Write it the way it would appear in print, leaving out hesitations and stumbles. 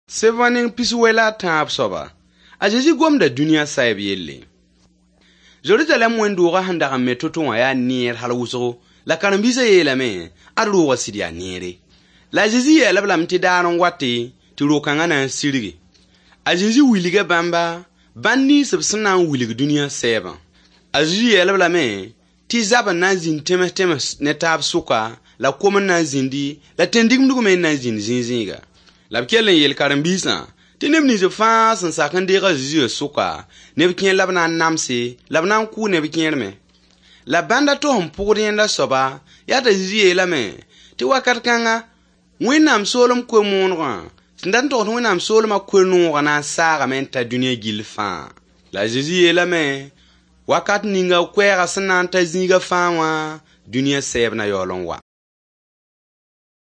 Sẽbã neng piswɛ la a tãab soaba, a Zezi gomda dũniyã saɛb yelle. Zerizalɛɛm wẽnd-doogã sẽn dag n me to-to wã yaa neer hal wʋsgo, la karen-biisã yeelame, ad roogã sɩd yaa neere. La a Zezi yeel-b lame tɩ daar n wate tɩ ro-kãngã na n sirgi. A Zezi wilga bãmba bãnd nins b sẽn na n wilg dũniyã sɛɛbã. A Zezi yeel-b lame tɩ zab n na n zĩnd tẽms-tẽms ne taab sʋka, la kom n na n zĩndi, la tẽn-digimdg me n na n zĩnd zĩig-zĩiga. La b kell n yeel karen-biisã tɩ neb nins fãa sẽn sak n deeg a Zezi sʋka, neb kẽer la b na n namse, la b na n kʋʋ neb kẽer me. La bãnd a to sẽn pʋgd yẽnda soaba, yaa t'a Zezi yeelame tɩ wakat kãnga, Wẽnnaam soolem koe-moonegã sẽn dat n togs Wẽnnaam soolmã koe-noogã na n saagame n ta dũniyã gill fãa. La a Zezi yeelame, wakat ninga koɛɛgã sẽn na n ta zĩiga fãa wã, dũniyã sɛɛb na yaool n wa.